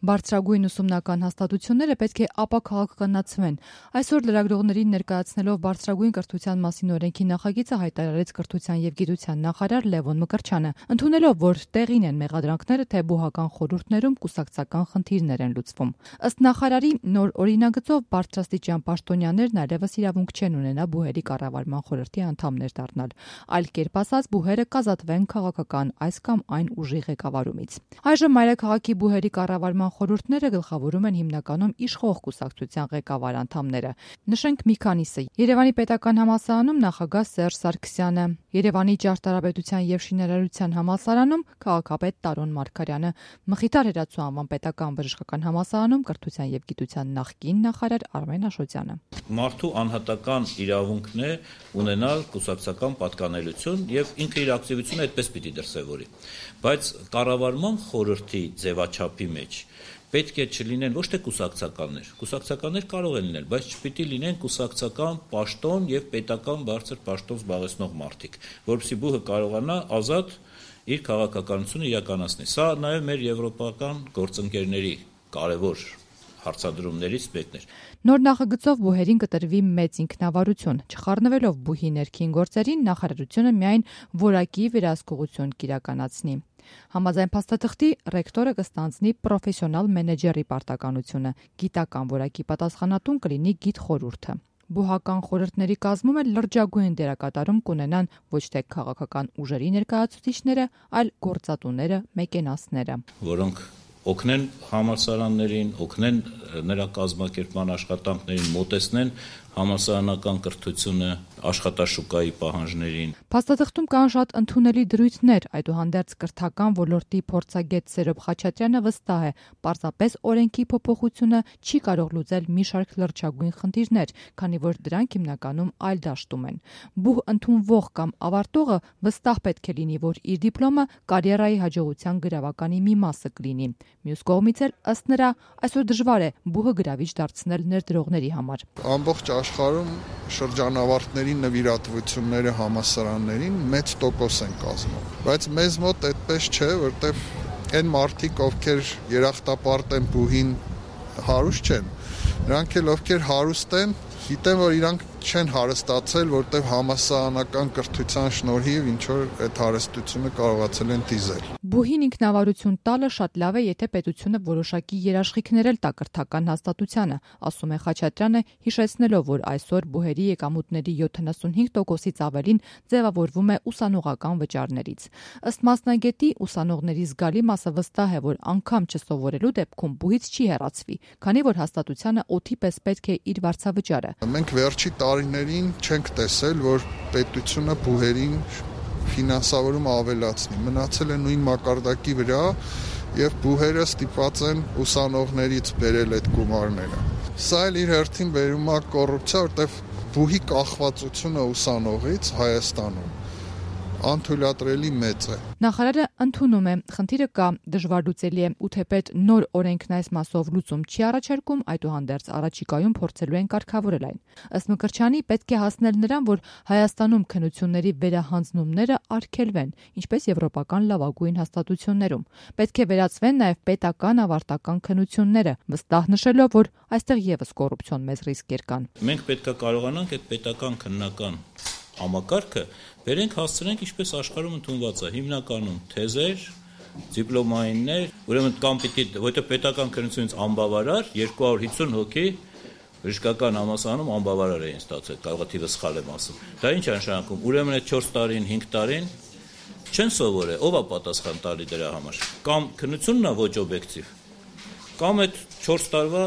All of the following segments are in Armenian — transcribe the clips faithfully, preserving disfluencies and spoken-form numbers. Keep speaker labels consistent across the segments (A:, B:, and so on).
A: Բարձրագույն ուսումնական հաստատությունները պետք է ապաքաղաքականացվեն։ Այսօր լրագրողներին ներկայացնելով բարձրագույն կրթության մասին օրենքի նախագիծը հայտարարեց կրթության և գիտության նախարար Լևոն Մկրտչյանը, ընդունելով, որ տեղին են մեղադրանքները, թե բուհական խորհուրդներում կուսակցական խնդիրներ են լուծվում։ Ըստ նախարարի, նոր օրինագծով բարձրաստիճան պաշտոնյաներն այլևս իրավունք չեն ունենա բուհերի կառավարման խորհրդի անդամներ դառնալ, այլ կերպ ասած բուհերը կազատվեն քաղաքական այս կամ այն ուժի ղեկավարումից։ Այժմ մայրաքաղաքի բուհերի կառավարման խորհուրդները գլխավորում են հիմնականում իշխող կուսակցության ղեկավար անդամները։ Նշենք մի քանիսը. Երևանի պետական համալսարանում նախագահ Սերժ Սարգսյանը, Երևանի ճարտարապետության և շինարարության համալսարանում քաղաքապետ Տարոն Մարգարյանը, Մխիթար Հերացու անվան պետական բժշկական համալսարանում կրթության և գիտության նախկին նախարար Արմեն Աշոտյանը։
B: Մարդու անհատական իրավունքն է ունենալ կուսակցական պատկանելություն եւ ինքը իր ակտիվությունը այդպես պիտի դրսևորի, բայց կառավարման խորհրդի ձևաչափի մեջ պետք է չլինեն ոչ թե կուսակցականներ, կուսակցականներ կարող են լինել, բայց չպիտի լինեն կուսակցական պաշտոն եւ պետական բարձր պաշտոն զբաղեցնող մարդիկ, որովհետեւ բուհը կարողանա ազատ իր քաղաքականությունը իրականացնել։ Սա նաեւ մեր եվրոպական գործընկերների կարևոր հարցադրումներից մեկն էր։
A: Նոր նախագծով բուհերին կտրվի մեծ ինքնավարություն, չխառնվելով բուհի ներքին գործերին, նախարարությունը միայն որակի վերահսկողություն կիրականացնի։ Համաձայն փաստաթղթի ռեկտորը կստանձնի պրոֆեսիոնալ մենեջերի պարտականությունը, գիտական որակի պատասխանատուն կլինի գիտխորհուրդը։ Բուհական խորհուրդների կազմում էլ լրջագույն դերակատարում կունենան ոչ թե քաղաքական ուժերի ներկայացուցիչները, այլ գործատուները, մեկենասները,
B: որոնք օգնեն համալսարաններին, օգնեն նրա կազմակերպման աշխատանքներին, մոտեցնեն համալսարանական կրթությունը աշխատաշուկայի պահանջներին։
A: Փաստաթղթում կան շատ ընդունելի դրույթներ, այդուհանդերձ կրթական ոլորտի փորձագետ Սերոբ Խաչատրյանը վստահ է, պարզապես օրենքի փոփոխությունը չի կարող լուծել մի շարք լրջագույն խնդիրներ, քանի որ դրանք հիմնականում այլ դաշտում են։ Բուհ ընդունվող կամ ավարտողը վստահ պետք է լինի, որ իր դիպլոմը կարիերայի հաջողության գրավականի մի մասը կլինի։ Մյուս կողմից էլ ըստ նրա այսօր դժվար է բուհը գրավիչ դարձնել ներդրողների համար։
C: Ամբողջ աշխարհում շրջանավարտների նվիրատվությունները համալսարաններին մեծ տոկոս են կազմում, բայց մեզ մոտ այդպես չէ, որտեվ այն մարդիկ, ովքեր երախտապարտ են բուհին, հարուստ չեն։ Նրանք էլ ովքեր հարուստ են, գիտեն, որ իրանք չեն հարստացել, որտեվ համալսարանական կրթության շնորհիվ ինչ որ այդ հարստությունը կարողացել են դիզել։
A: Բուհին ինքնավարություն տալը շատ լավ է, եթե պետությունը որոշակի երաշխիքներ էլ տա կրթական հաստատությանը, ասում է Խաչատրյանը, հիշեցնելով, որ այսօր բուհերի եկամուտների յոթանասունհինգ տոկոսից ավելին ձևավորվում է ուսանողական վճարներից։ Ըստ մասնագետի, ուսանողների զգալի մասը վստահ է, որ անգամ չսովորելու դեպքում բուհից չի հեռացվի, քանի որ հաստատությանը օդի պես պետք է իր վարձավճարը։
C: Մենք վերջի տարիներին չենք տեսել, որ պետությունը բուհերին ֆինանսավորում ավելացնի, մնացել է նույն մակարդակի վրա եւ բուհերը ստիպված են ուսանողներից բերել այդ գումարները։ Սա էլ իր հերթին բերում է կոռուպցիա, որտեվ բուհի կախվածությունը ուսանողից Հայաստանում անթույլատրելի մեծ է։
A: Նախարարը ընդունում է, խնդիրը կա, դժվար լուծելի է, ու թեպետ նոր օրենքն այս մասով լուծում չի առաջարկում, այդուհանդերձ առաջիկայում փորձելու են կարգավորել այն։ Ըստ Մկրտչյանի պետք է հասնել նրան, որ Հայաստանում քննությունների վերահանձնումները արգելվեն, ինչպես եվրոպական լավագույն հաստատություններում։ Պետք է վերացվեն նաև պետական ավարտական քննությունները, վստահ նշելով, որ այստեղ եւս կոռուպցիոն մեծ ռիսկեր կան։
B: Մենք պետք է կարողանանք այդ պետական քննական համակարգը վերենք հասցնենք ինչպես աշխարհում ընդունված է, հիմնականում թեզեր, դիպլոմայիններ, ուրեմն կամ պիտի, որտեղ պետական քննությունից անբավարար երկու հարյուր հիսուն հոգի բժշկական համալսարանում անբավարար էին ստացել, կարող է թիվը սխալ եմ ասում։ Դա ինչ է նշանակում, ուրեմն այդ չորս տարին, հինգ տարին չեն սովորել, ով է պատասխան տալի դրա համար։ Կամ քննությունն է ոչ օբյեկտիվ, կամ այդ չորս տարվա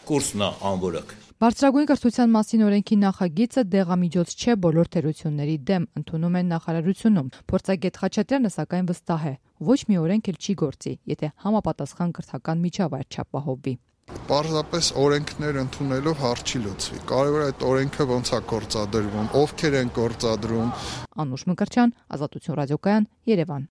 B: կուրսն է անորակ։
A: Բարձրագույն կրթության մասին օրենքի նախագիծը դեղամիջոց չէ բոլոր թերությունների դեմ, ընդունում են նախարարությունում։ Փորձագետ Խաչատրյանը սակայն վստահ է, ոչ մի օրենք էլ չի գործի, եթե համապատասխան կրթական միջավայր չապահովվի։
C: Պարզապես օրենքներ ընդունելով հարց չի լուծվի։ Կարևորը այդ օրենքը ոնց է գործադրվում, ովքեր են գործադրում։
A: Անուշ Մկրտչյան, Ազատություն ռադիոկայան, Երևան։